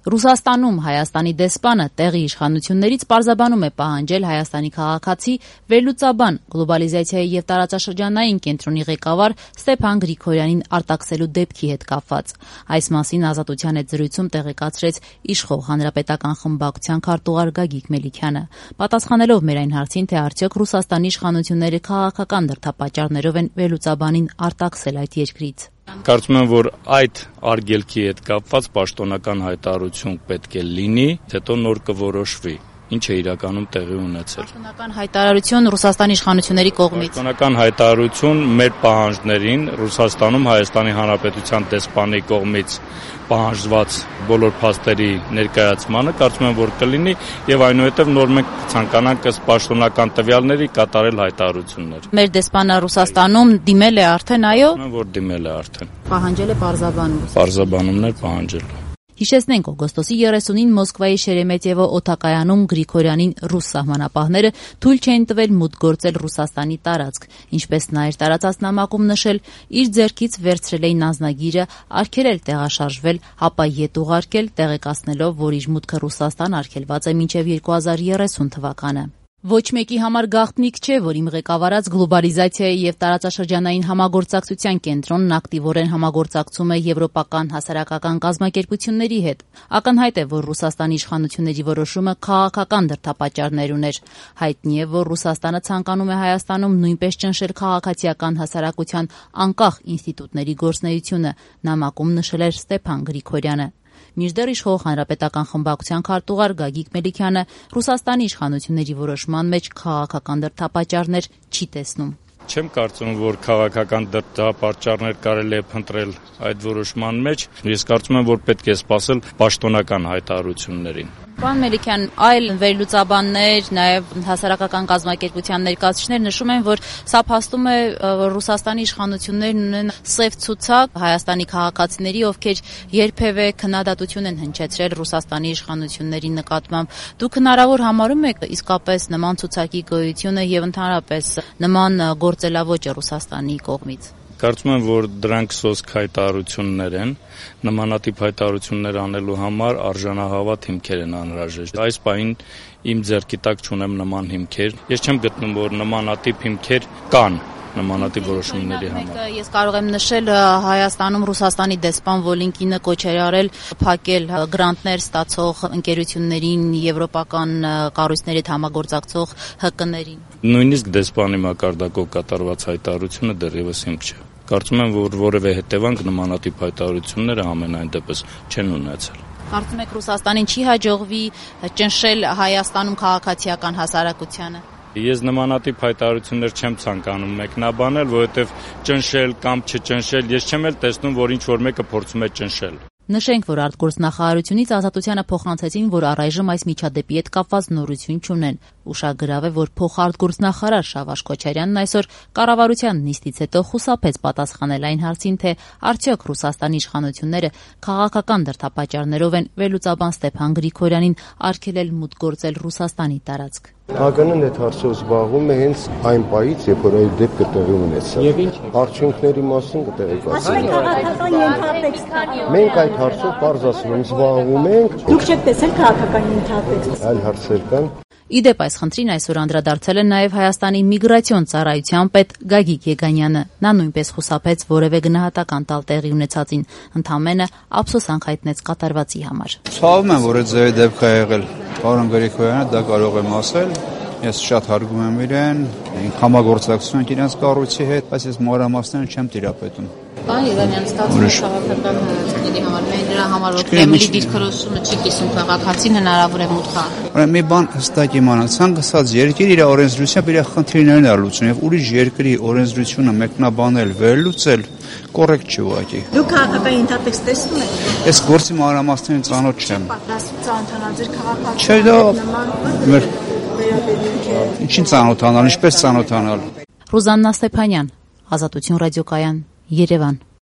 Ռուսաստանում Հայաստանի դեսպանը տեղի իշխանություններից պարզաբանում է պահանջել Հայաստանի քաղաքացի վերլուծաբան գլոբալիզացիայի և տարածաշրջանային կենտրոնի ղեկավար Ստեփան Գրիգորյանին արտաքսելու դեպքի հետ կապված։ Այս մասին Ազատության հետ զրույցում տեղեկացրեց իշխող հանրապետական խմբակցության քարտուղար Գագիկ Մելիքյանը։ Պատասխանելով մեր այն հարցին, թե արդյոք Ռուսաստանի իշխանությունները քաղաքական դրդապատճառներով են վերլուծաբանին արտաքսել այդ երկրից։ Կարծում եմ, որ այդ արգելքի հետ կապված պաշտոնական հայտարարություն պետք է լինի, հետո նոր կորոշվի, ինչ է իրականում տեղի ունեցել։ Պաշտոնական հայտարարություն Ռուսաստանի իշխանությունների կողմից։ Պաշտոնական հայտարարություն մեր պահանջներին Ռուսաստանում Հայաստանի Հանրապետության դեսպանի կողմից պահանջված բոլոր փաստերի ներկայացմանը կարծում եմ, որ կլինի եւ այնուհետեւ նոր մենք ցանկանանք ըստ պաշտոնական տվյալների կատարել հայտարարություններ։ Մեր դեսպանը Ռուսաստանում դիմել է արդեն, այո։ Որ դիմել է արդեն։ Պահանջել է պարզաբանում։ Պարզաբանումներ պահանջել։ Հիշեցնենք, օգոստոսի 30-ին Մոսկվայի Շերեմետյևո օդակայանում Գրիգորյանին ռուս սահմանապահները թույլ չեն տվել մուտք գործել Ռուսաստանի տարածք, ինչպես նա իր տարածած նամակում նշել, իր ձեռքից վերցրել էին անձնագիրը, արգելել տեղաշարժվել, ապա ետ ուղարկել, տեղեկացնելով, որ իր մուտքը Ռուսաստան արգելված է մինչև 2030 թվականը։ Ոչ մեկի համար գաղտնիք չէ, որ իմ ղեկավարած գլոբալիզացիայի և տարածաշրջանային համագործակցության կենտրոնն ակտիվորեն համագործակցում է եվրոպական հասարակական կազմակերպությունների հետ։ Ակնհայտ է, որ Ռուսաստանի իշխանությունների որոշումը քաղաքական դրդապատճառներ ուներ։ Հայտնի է, որ Ռուսաստանը ցանկանում է Հայաստանում նույնպես ճնշել քաղաքացիական հասարակության անկախ ինստիտուտների գործունեությունը, նամակում նշել էր Ստեփան Գրիգորյանը։ Մինչդեռ իշխող հանրապետական խմբակցության քարտուղար Գագիկ Մելիքյանը Ռուսաստանի իշխանությունների որոշման մեջ քաղաքական դրդապատճառներ չի տեսնում։ Չեմ կարծում, որ քաղաքական դրդապատճառներ կարելի է փնտրել այդ որոշման մեջ։ Ես կարծում եմ, որ պետք է սպասել պաշտոնական հայտարարություններին։ Պարոն Մելիքյան, այլ վերլուծաբաններ, նաև հասարակական կազմակերպության ներկայացուցիչներ նշում են, որ սա փաստում է, որ Ռուսաստանի իշխանություններն ունեն սև ցուցակ Հայաստանի քաղաքացիների, ովքեր երբևէ քննադատություն են հնչեցրել Ռուսաստանի իշխանությունների նկատմամբ։ Դուք հնարավոր համարում եք իսկապես նման ցուցակի գոյությունը եւ ընդհանրապես նման գործելավոճը Ռուսաստանի կողմից։ Կարծում եմ, որ դրանք սոսկ հայտարարություններ են, նմանատիպ հայտարարություններ անելու համար արժանահավատ հիմքեր են անհրաժեշտ։ Այս պահին իմ ձեռքի տակ չունեմ նման հիմքեր։ Ես չեմ գտնում, որ նմանատիպ հիմքեր կան նմանատիպ որոշումների համար։ Ես կարող եմ նշել Հայաստանում Ռուսաստանի դեսպան Վոլինկինը կոչ էր արել փակել գրանտներ ստացող ընկերություններին, եվրոպական կառույցների հետ համագործակցող ՀԿ-ներին։ Նույնիսկ դեսպանի մակարդակով կատարված հայտարարությունը դեռևս հիմք չէ։ Կարծում եմ, որ որևէ հետևանք նմանատիպ հայտարարությունները ամենայն դեպս չեն ունեցել։ Կարծում եք Ռուսաստանին չի հաջողվի ճնշել Հայաստանում քաղաքացիական հասարակությանը։ Ես նմանատիպ հայտարարություններ չեմ ցանկանում մեկնաբանել, որովհետև ճնշել կամ չճնշել, ես չեմ էլ տեսնում, որ ինչ-որ մեկը փորձում է ճնշել։ Նշենք, որ արտգործնախարարությունից Ազատությանը փոխանցեցին, որ առայժմ այս միջադեպի հետ կապված նորություն չունեն։ Ուշագրավ է, որ փոխարտգործնախարար Շավարժ Քոչարյանն այսօր կառավարության նիստից հետո խուսափեց պատասխանել այն հարցին, թե արդյոք Ռուսաստանի իշխանությունները քաղաքական դրդապատճառներով են վերլուծաբան Ստեփան Գրիգորյանին արգելել մուտք գործել Ռուսաստանի տարածք։ ՀԿ-ն այդ հարցով զբաղվում է հենց այն պահից, երբ որ այդ դեպքը տեղի ունեցավ։ Եվ ինչ արդյունքների մասին կտեղեկացնենք։ Մենք այդ հարցով պարզ ասում եմ զբաղվում ենք։ Դուք չեք տեսել քաղաքական ենթատեքստ։ Այլ հարցեր կան։ Իդեպ այս խնդրին այսօր անդրադարձել է նաև Հայաստանի միգրացիոն ծառայության պետ Գագիկ Եգանյանը։ Նա նույնպես խուսափեց որևէ գնահատական տալ տեղի ունեցածին, ընդամենը ափսոսանք հայտնեց կատարվածի համար։ Ցավում եմ, որ այդ ձևի դեպք է եղել։ Պարոն Գրիգորյանը դա կարող եմ ասել։ Ես շատ հարգում եմ իրեն, համագործակցություն ենք իրենց կառույցի հետ, բայց ես մանրամասները չեմ տիրապետում։ Պարոն Եգանյան, ստացվում է քաղաքական հանրությունների համար, մենք դրա համար որ Կրեմլի դիրքորոշումը չի կիսում քաղաքացին հնարավոր է մուտք առնել։ Ուրեմն մի բան հստակ իմանալ, ցանկացած երկիր իր օրենսդրությամբ իր խնդիրներն է լուծում եւ ուրիշ երկրի օրենսդրությունը մեկնաբանել, վերլուծել կոռեկտ չի ուղղակի։ Դուք քաղաքական ենթատեքստ տեսնում եք։ Ես գործի մանրամասներին ծանոթ չեմ։ Պատրաստվում ծանոթանալ ձեր քաղաքացիական Չէ, դա մեր վերաբերյալ է։ Ինչին ծանոթանալ, ինչպես ծանոթանալ։ Ռուզաննա Ստեփանյան, Ազատություն ռադիոկայան, Երևան։